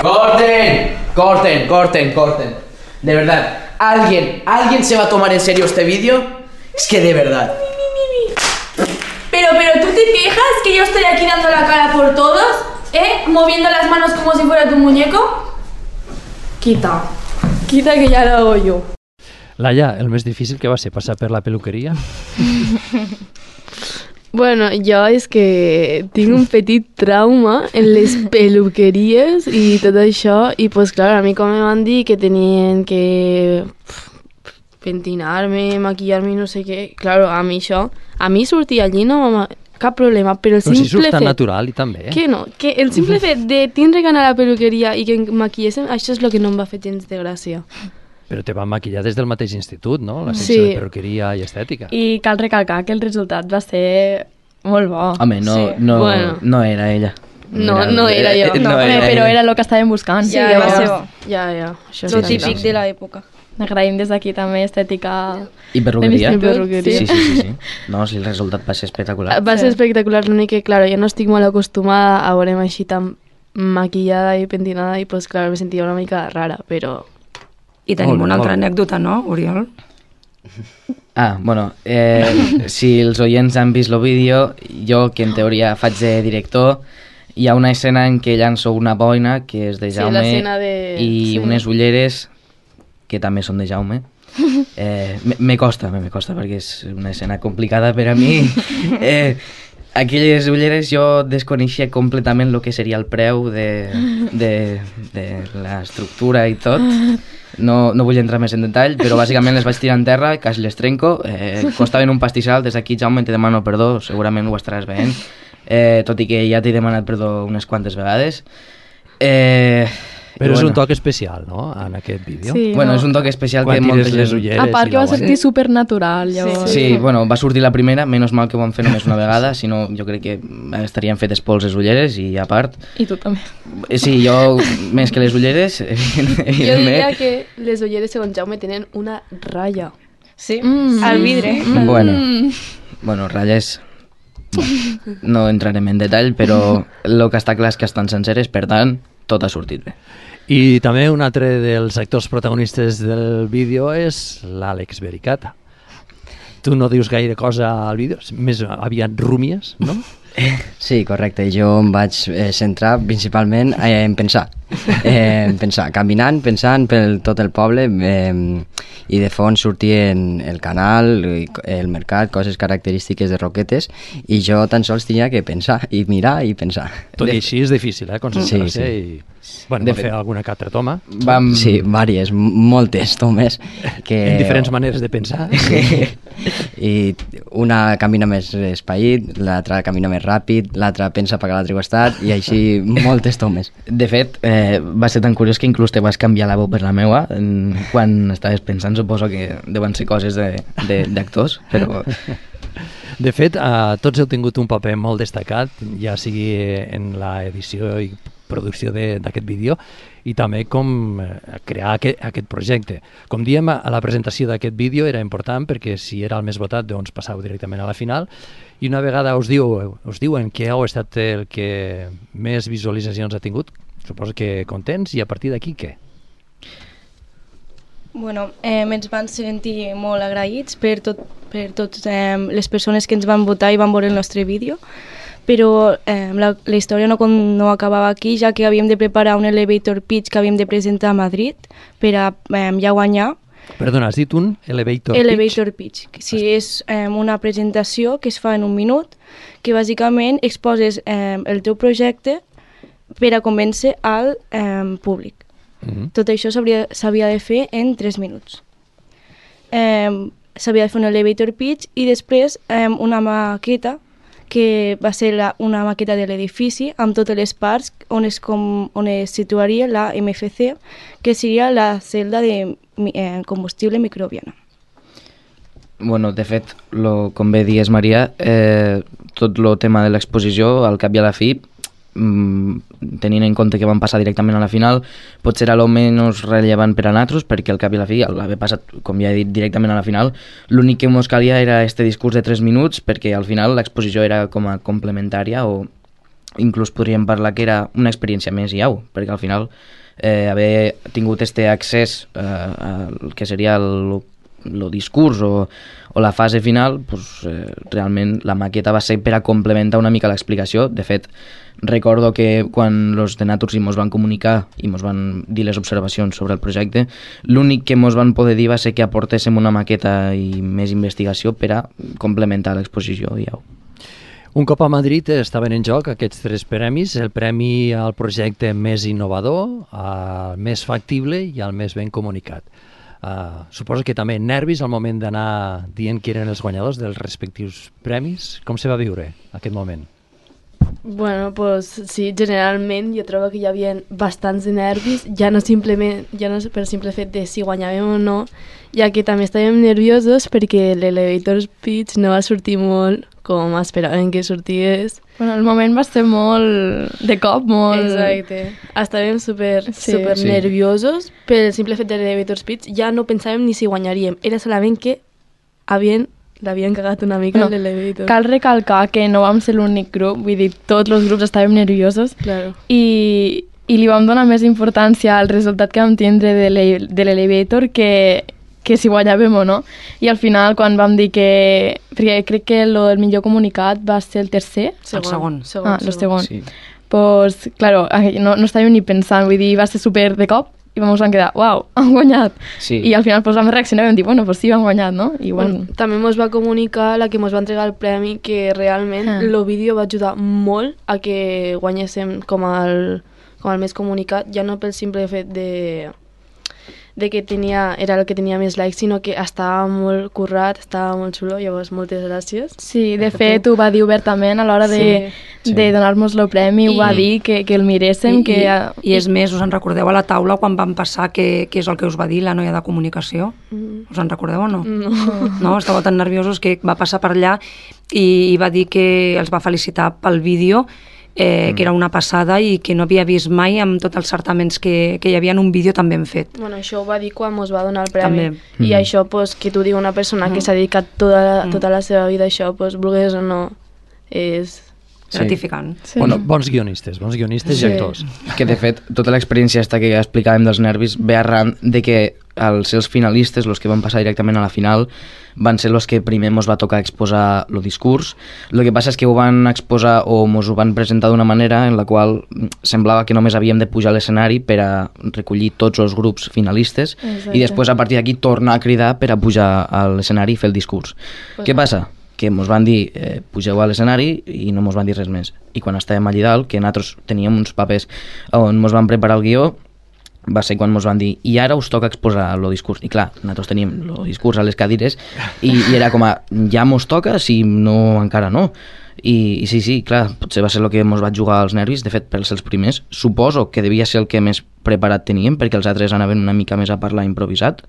¡Corten! De verdad, ¿alguien se va a tomar en serio este vídeo? Es que de verdad. Pero ¿tú te quejas que yo estoy aquí dando la cara por todos? Moviendo las manos como si fuera tu muñeco. Quita. Quita que ya lo hago yo. Laia, el més difícil que va ser passar per la peluqueria? Bueno, jo és que tinc un petit trauma en les peluqueries i tot això, i pues clar, a mi com em van dir que tenien que pentinar-me, maquillar-me, no sé què, claro, a mi això, a mi sortir allí no cap problema, però el Però simple si surt tan fet... natural i també. Que no, que el simple fet de tindre que anar a la peluqueria i que em maquillessin, això és el que no em va fer gens de gràcia. Però te van maquillar des del mateix institut, no? La secció Sí. de peluqueria i estètica. I cal recalcar que el resultat va ser molt bo. Home, no era ella. No era jo. Però era el que estàvem buscant. Ja, va ser bo. Ja. Això Lo típic de l'època. Agraïm des d'aquí també estètica... I perruqueria? de l'institut. Sí. No, sí, el resultat va ser espectacular. Va ser espectacular, l'únic que, claro, jo no estic molt acostumada a veure'm així tan maquillada i pentinada i, pues, claro, me sentia una mica rara, però... I tenim una altra anècdota, no, Oriol? Bueno, si els oients han vist el vídeo, jo, que en teoria faig de director, hi ha una escena en què llanço una boina, que és de Jaume, l'escena de... i unes ulleres, que també són de Jaume. Me costa, perquè és una escena complicada per a mi. Aquelles ulleres jo desconeixia completament el que seria el preu de l'estructura i tot. No vull entrar més en detall, però bàsicament les vaig tirar en terra, quasi les trenco. Costaven un pastissal, des d'aquí, Jaume, te demano perdó, segurament ho estaràs veient, tot i que ja t'he demanat perdó unes quantes vegades. Però és un toc especial, no?, en aquest vídeo. Sí, bueno, és un toc especial quan que molta gent... les ulleres... A part que va sortir supernatural, llavors. Sí, bueno, va sortir la primera, menys mal que ho vam fer només una vegada, si no jo crec que estarien fetes pols les ulleres i a part... I tu també. Sí, jo més que les ulleres, Jo diria que les ulleres, segons Jaume, tenen una ratlla. Sí, al vidre. Bueno, ratlles... No entrarem en detall, però el que està clar és que estan senceres, per tant, tot ha sortit bé. I també un altre dels actors protagonistes del vídeo és l'Àlex Vericata. Tu no dius gaire cosa al vídeo, més aviat rúmies, no? Sí, correcte. Jo em vaig centrar principalment en pensar. Caminant, pensant per tot el poble, i de fons sortien el canal, el mercat, coses característiques de Roquetes, i jo tan sols tenia que pensar, i mirar i pensar. Tot i així és difícil, concentrar-se i... Bueno, vam fer alguna que altra toma. Sí, vàries, moltes tomes. En diferents maneres de pensar. I una camina més espaït, l'altra camina més ràpid, l'altra pensa per l'altre costat, i així moltes tomes. De fet, va ser tan curiós que inclús te vas canviar la veu per la meua quan estaves pensant, suposo que deuen ser coses d'actors, però... De fet, tots heu tingut un paper molt destacat, ja sigui en l'edició i producció d'aquest vídeo i també com crear aquest projecte. Com diem, a la presentació d'aquest vídeo era important perquè si era el més votat, doncs passau directament a la final, i una vegada us diuen que heu estat el que més visualitzacions ha tingut, suposo que contents, i a partir d'aquí què? Bueno, ens van sentir molt agraïts per totes les persones que ens van votar i van veure el nostre vídeo, però la història no acabava aquí, ja que havíem de preparar un elevator pitch que havíem de presentar a Madrid per a ja guanyar. Perdona, has dit un elevator pitch? Elevator pitch, sí, és una presentació que es fa en un minut, que bàsicament exposes el teu projecte per a convèncer al públic. Tot això s'havia de fer en 3 minuts. S'havia de fer un elevator pitch i després una maqueta, que va ser una maqueta de l'edifici amb totes les parts on es situaria la MFC, que seria la celda de combustible microbiana. Bueno, de fet, com bé dies, Maria, tot el tema de l'exposició, al cap i a la fi, tenint en compte que van passar directament a la final, potser era el menys rellevant per a nosaltres, perquè al cap i a la fi, al haver passat, com ja he dit, directament a la final, l'únic que ens calia era este discurs de 3 minuts, perquè al final l'exposició era com a complementària, o inclús podríem parlar que era una experiència més i au, perquè al final haver tingut este accés al que seria el discurs o la fase final, pues, realment la maqueta va ser per a complementar una mica l'explicació. De fet, recordo que quan els de Naturgy mos van comunicar i mos van dir les observacions sobre el projecte, l'únic que mos van poder dir va ser que aportéssim una maqueta i més investigació per a complementar l'exposició i au. Un cop a Madrid estaven en joc aquests 3 premis, el premi al projecte més innovador, al més factible i al més ben comunicat. Suposo que també nervis al moment d'anar dient qui eren els guanyadors dels respectius premis. Com se va viure aquest moment? Bueno, pues sí, generalment jo trobo que hi havia bastants de nervis, ja no per simple fet de si guanyàvem o no, ja que també estàvem nerviosos perquè l'elevator speech no va sortir molt com esperaven que sortís. Bueno, el moment va ser molt de cop, molt... Exacte. Estàvem super nerviosos pel simple fet de l'elevator speech, ja no pensàvem ni si guanyaríem, era solament que l'havien cagat una mica en l'elevator. Cal recalcar que no vam ser l'únic grup, vull dir, tots els grups estàvem nerviosos, claro. I li vam donar més importància al resultat que vam tindre de l'elevator que si guanyàvem o no. I al final, quan vam dir que... Perquè crec que el millor comunicat va ser el tercer. El segon. El segon. Sí. Pues, claro, no estàvem ni pensant, vull dir, va ser super de cop, i vam quedar, uau, han guanyat. Sí. I al final vam reaccionar i vam dir, bueno, pues sí, han guanyat, no? I bueno. També ens va comunicar la que ens va entregar el premi que realment el vídeo va ajudar molt a que guanyéssim com el més comunicat, ja no pel simple fet de que era el que tenia més likes, sinó que estava molt currat, estava molt xulo, llavors moltes gràcies. Sí, de fet ho va dir obertament a l'hora de donar-nos el premi, ho va dir que el miréssim. I és més, us en recordeu a la taula quan vam passar què és el que us va dir la noia de comunicació? Us en recordeu o no? No, estàveu tan nerviosos que va passar per allà i va dir que els va felicitar pel vídeo, que era una passada i que no havia vist mai amb tots els certaments que hi havia en un vídeo tan ben fet. Bueno, això ho va dir quan ens va donar el premi. I això, pues, que t'ho digui una persona que s'ha dedicat tota la seva vida a això, pues, volgués o no, és gratificant. Sí. Bueno, bons guionistes i actors. Que de fet, tota l'experiència que explicàvem dels nervis ve arran de que els finalistes, els que van passar directament a la final, van ser els que primer ens va tocar exposar el discurs. El que passa és que ho van exposar o ens ho van presentar d'una manera en la qual semblava que només havíem de pujar a l'escenari per a recollir tots els grups finalistes. Exacte. I després a partir d'aquí tornar a cridar per a pujar a l'escenari i fer el discurs. Què passa? Que ens van dir pugeu a l'escenari i no ens van dir res més. I quan estàvem allà dalt, que nosaltres teníem uns papers on ens van preparar el guió, va ser quan ens van dir i ara us toca exposar el discurs. I clar, nosaltres teníem el discurs a les cadires i era com a, ja ens toca, si no encara no. I sí, clar, potser va ser el que ens va jugar als nervis. De fet, per ser els primers, suposo que devia ser el que més preparat teníem, perquè els altres anaven una mica més a parlar improvisat,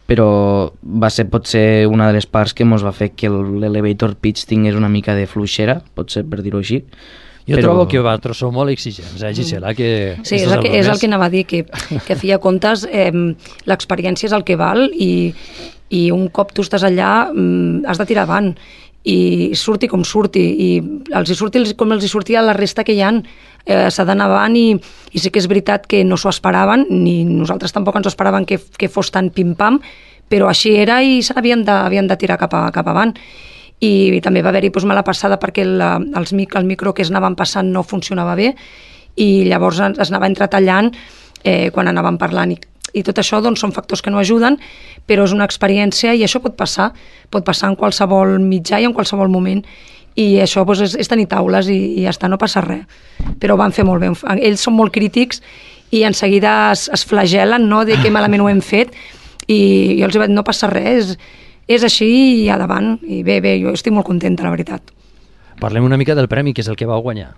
però va ser potser una de les parts que ens va fer que l'elevator pitch tingués una mica de fluixera, potser per dir-ho així. Jo trobo que vosaltres sou molt exigents, Gisela? Sí, és el que anava a dir, que a fi de comptes l'experiència és el que val i un cop tu estàs allà has de tirar avant i surti com surti i els hi surti com els hi sortia la resta que hi ha, s'ha d'anar avant i sí que és veritat que no s'ho esperaven, ni nosaltres tampoc ens ho esperaven que fos tan pim-pam, però així era i havien de tirar cap avant. I també va haver-hi mala passada perquè el micro que es anaven passant no funcionava bé i llavors es anava entretallant quan anàvem parlant i tot això doncs, són factors que no ajuden, però és una experiència i això pot passar en qualsevol mitjà i en qualsevol moment i això doncs, és tenir taules i ja està, no passa res, però ho van fer molt bé. Ells són molt crítics i en seguida es flagelen, no?, de que malament ho hem fet i jo els he dit, no passa res, és així i endavant, i bé, jo estic molt contenta, la veritat. Parlem una mica del premi, que és el que vau guanyar.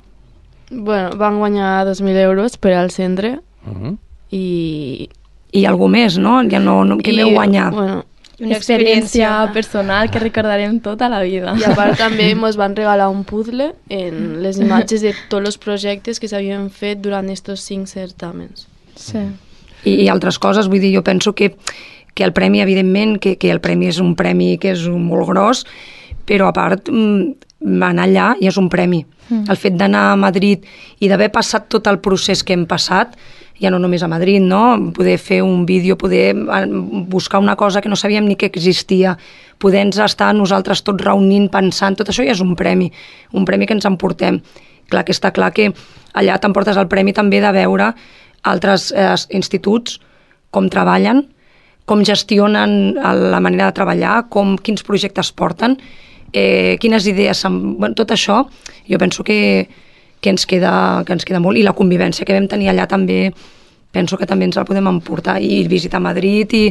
Bueno, van guanyar 2.000 euros per al centre i algú més, no? Ja no que m'heu guanyat. Bueno, una experiència personal que recordarem tota la vida. I a part també ens van regalar un puzzle en les imatges de tots els projectes que s'havien fet durant aquests 5 certàmens. Sí. I altres coses, vull dir, jo penso que el premi, evidentment, que el premi és un premi que és molt gros, però a part anar allà ja és un premi. El fet d'anar a Madrid i d'haver passat tot el procés que hem passat ja no només a Madrid, no? Poder fer un vídeo, poder buscar una cosa que no sabíem ni que existia, poder estar nosaltres tots reunint, pensant, tot això ja és un premi que ens emportem. Clar que està clar que allà t'emportes el premi també de veure altres instituts com treballen, com gestionen la manera de treballar, quins projectes porten, quines idees... Tot això jo penso que ens queda molt, i la convivència que vam tenir allà també penso que també ens la podem emportar, i visitar Madrid i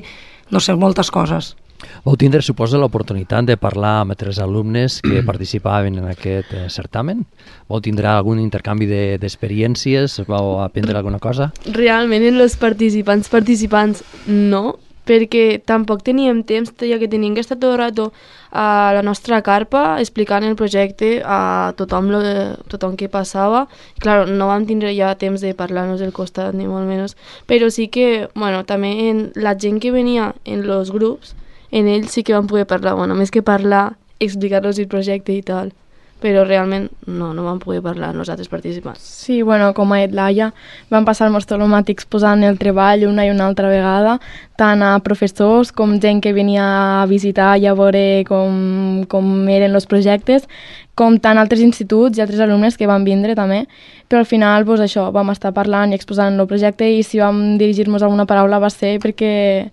no sé, moltes coses. Vau tindre, suposa, l'oportunitat de parlar amb altres alumnes que participaven en aquest certamen? Vau tindre algun intercanvi d'experiències? Vau aprendre alguna cosa? Realment, en els participants no, perquè tampoc teníem temps, ja que teníem que estar tot el rato a la nostra carpa explicant el projecte a tothom que passava. Clar, no vam tindre ja temps de parlar-nos del costat, ni molt menys, però sí que, bueno, també en la gent que venia en els grups, en ells sí que vam poder parlar, bueno, més que parlar, explicar-los el projecte i tal, però realment no vam poder parlar nosaltres participants. Sí, bueno, com ha dit Laia, vam passar-nos tot el matí exposant el treball una i una altra vegada, tant a professors com gent que venia a visitar i a veure com eren els projectes, com tant altres instituts i altres alumnes que van vindre també, però al final doncs, això, vam estar parlant i exposant el projecte, i si vam dirigir-nos alguna paraula va ser perquè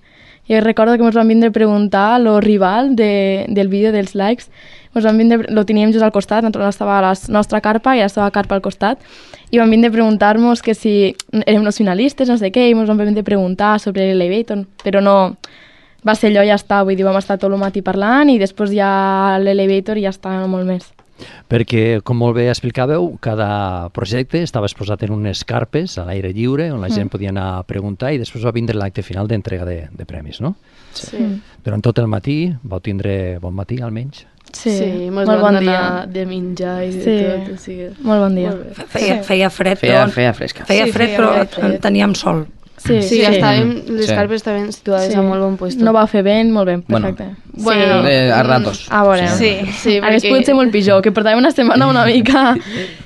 jo recordo que ens van vindre a preguntar lo rival del vídeo dels likes. Lo teníem just al costat, estava a la nostra carpa i la seva carpa al costat, i van vindre a preguntar-nos que si érem els finalistes, no sé què, i ens van vindre a preguntar sobre l'Elevator, però no, va ser allò i ja està, vull dir, vam estar tot el matí parlant i després ja l'Elevator i ja està, no molt més. Perquè, com molt bé explicàveu, cada projecte estava exposat en unes carpes a l'aire lliure, on la gent podia anar a preguntar, i després va vindre l'acte final d'entrega de premis, no? Sí. Durant tot el matí vau tindre bon matí, almenys? Sí, molt bon dia de menjar i de tot. O sigui, molt bon dia. Feia fred, feia fresca. Feia fred, però teníem sol. Sí, les carpes estaven situades a molt bon puesto. No va fer vent, molt bé, perfecte. Bueno, a ratos. A veure, sí, hagués pogut ser molt pitjor, que portàvem una setmana una mica...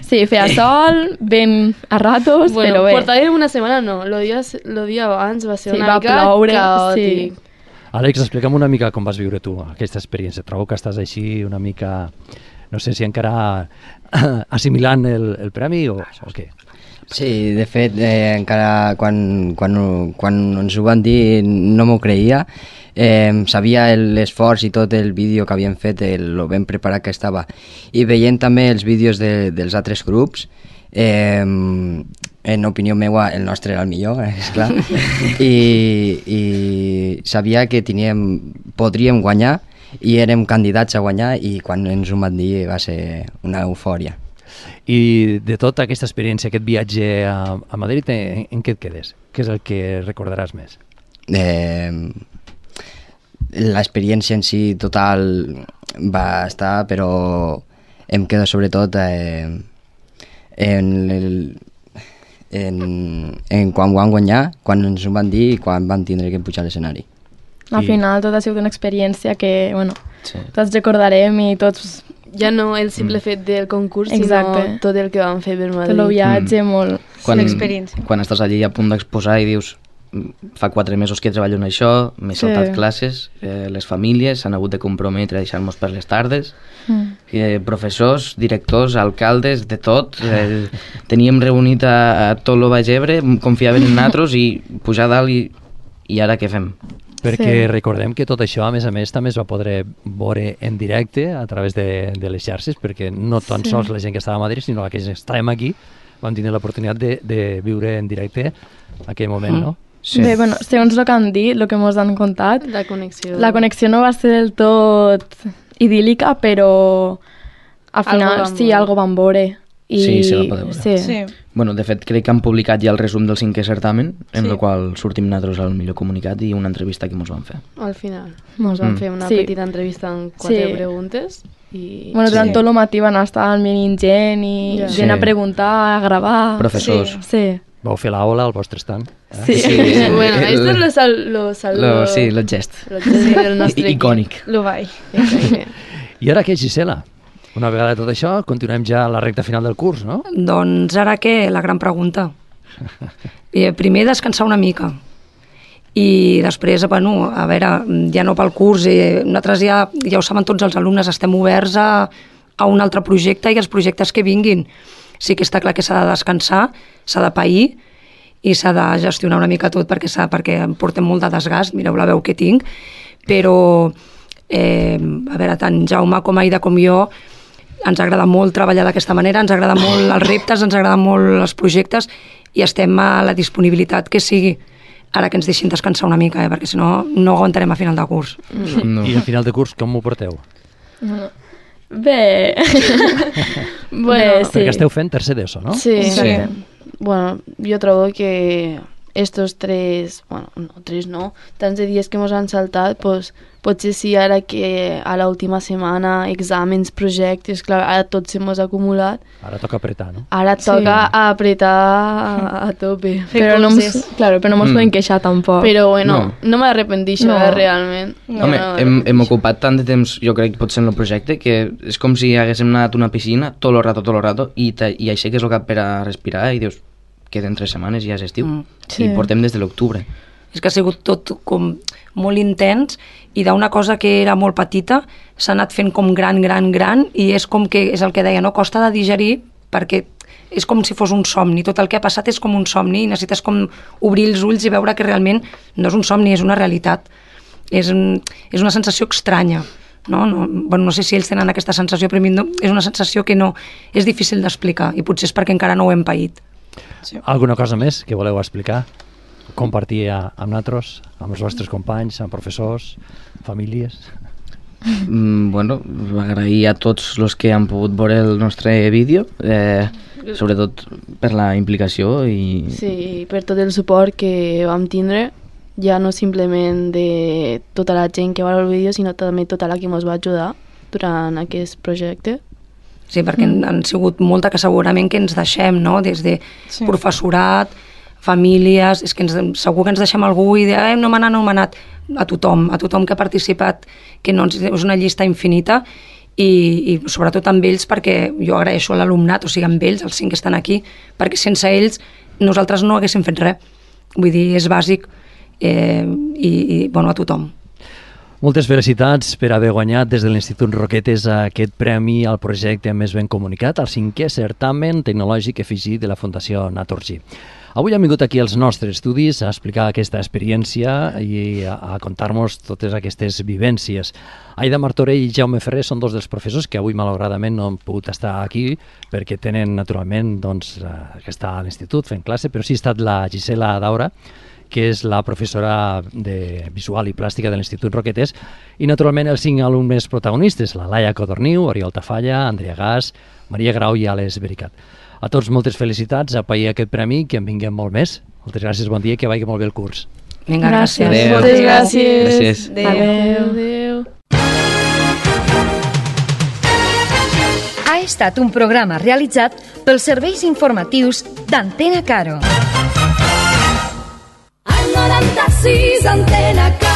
Sí, feia sol, vent a ratos, però bé. Portàvem una setmana, no, el dia abans va ser una mica caòtic. Sí. Àlex, explica'm una mica com vas viure tu aquesta experiència. Trobo que estàs així una mica... No sé si encara assimilant el premi o què? Sí, de fet, encara quan ens ho van dir no m'ho creia. Sabia l'esforç i tot el vídeo que havien fet, el ben preparat que estava. I veient també els vídeos dels altres grups, en opinió meva el nostre era el millor, esclar, i sabia que podríem guanyar i érem candidats a guanyar, i quan ens ho van dir va ser una eufòria. I de tota aquesta experiència, aquest viatge a Madrid, en què et quedes? Què és el que recordaràs més? L'experiència en si total va estar, però em quedo sobretot en quan ho van guanyar, quan ens ho van dir i quan van tindre que pujar a l'escenari. Al final tot ha sigut una experiència que, bueno, tots recordarem i tots... Ja no el simple fet del concurs, sinó tot el que vam fer per Madrid. Tot el viatge, molt... L'experiència. Quan estàs allí a punt d'exposar i dius fa 4 mesos que treballo en això, m'he saltat classes, les famílies s'han hagut de comprometre a deixar-nos per les tardes, professors, directors, alcaldes, de tot. Teníem reunit a tot el Baix Ebre, confiaven en nosaltres i pujar dalt i ara què fem? Perquè recordem que tot això, a més, també es va poder veure en directe a través de les xarxes, perquè no tan sols la gent que estava a Madrid, sinó la que estàvem aquí, vam tenir l'oportunitat de viure en directe aquell moment, no? Sí. Bé, bueno, segons el que han dit, el que ens han contat, la connexió no va ser del tot idíl·lica, però al final algo van veure. Sí, se va poder veure. Sí. Bueno, de fet, crec que han publicat ja el resum del 5è certamen, en el qual sortim nosaltres al millor comunicat i una entrevista que ens van fer. Al final. Ens van fer una petita entrevista amb 4 preguntes. I... Bueno, durant tot el matí van estar venint gent i gent a preguntar, a gravar... Professors. Sí. Vau fer l'aula al vostre estand. Sí. Bueno, esto es el gest. Lo gest del nostre icònic. Lo vai. I ara què, Gisela? Una vegada tot això, continuem ja a la recta final del curs, no? Doncs ara què? La gran pregunta. Primer descansar una mica i després, bueno, a veure, ja no pel curs, nosaltres ja ho saben tots els alumnes, estem oberts a un altre projecte i els projectes que vinguin. Sí que està clar que s'ha de descansar, s'ha de pair i s'ha de gestionar una mica tot perquè portem molt de desgast, mireu la veu que tinc, però a veure, tant Jaume com Aida com jo ens agrada molt treballar d'aquesta manera, ens agrada molt els reptes, ens agraden molt els projectes i estem a la disponibilitat que sigui. Ara que ens deixin descansar una mica, perquè si no, no aguantarem a final de curs. No. I a final de curs com ho porteu? Bé. Bueno, sí. Perquè esteu fent tercer d'ESO, no? Sí. Bueno, jo trobo que estos tres, bueno, no, tres no, tants de dies que ens han saltat, pues, potser sí ara que a l'última setmana, exàmens, projectes, clar, ara tot se mos ha acumulat. Ara toca apretar, no? Ara toca apretar a tope. Però no ens podem queixar tampoc. Però bueno, no m'arrepentixo realment. Home, hem ocupat tant de temps, jo crec, potser en el projecte, que és com si haguéssim anat a una piscina tot el rato, i aixeques el cap per a respirar i dius, queden 3 setmanes i ja és estiu. I portem des de l'octubre. És que ha sigut tot com molt intens i d'una cosa que era molt petita s'ha anat fent com gran i és com que, és el que deia, no? Costa de digerir perquè és com si fos un somni, tot el que ha passat és com un somni i necessites com obrir els ulls i veure que realment no és un somni, és una realitat. És una sensació estranya. No sé si ells tenen aquesta sensació, però a mi no, és una sensació que no és difícil d'explicar i potser és perquè encara no ho hem paït. Alguna cosa més que voleu explicar? Compartir amb nosaltres, amb els vostres companys, amb professors, famílies? Bueno, agrair a tots els que han pogut veure el nostre vídeo, sobretot per la implicació i... Sí, per tot el suport que vam tindre, ja no simplement de tota la gent que va veure el vídeo, sinó també tota la que ens va ajudar durant aquest projecte. Sí, perquè han sigut molta que segurament que ens deixem, no? Des de professorat, famílies, és que segur que ens deixem algú i no m'ha anat, a tothom que ha participat, que no és una llista infinita i sobretot amb ells, perquè jo agraeixo a l'alumnat, o sigui, amb ells, els 5 que estan aquí, perquè sense ells nosaltres no haguéssim fet res. Vull dir, és bàsic i bueno, a tothom. Moltes felicitats per haver guanyat des de l'Institut Roquetes aquest premi al projecte més ben comunicat, al 5è certamen tecnològic EFIGI de la Fundació Naturgy. Avui hem vingut aquí als nostres estudis a explicar aquesta experiència i a contar-nos totes aquestes vivències. Aida Martorell i Jaume Ferrer són 2 dels professors que avui malauradament no han pogut estar aquí perquè tenen naturalment que està a l'institut fent classe, però sí ha estat la Gisela Daura, que és la professora de Visual i Plàstica de l'Institut Roquetes, i naturalment els 5 alumnes protagonistes, la Laia Codorniu, Oriol Tafalla, Andrea Gas, Maria Grau i Ales Vericat. A tots moltes felicitats, a pair aquest premi, que en vinguem molt més. Moltes gràcies, bon dia i que vagi molt bé el curs. Vinga, gràcies. Moltes gràcies. Adéu. Ha estat un programa realitzat pels serveis informatius d'Antena Caro. 96 Antena Caro.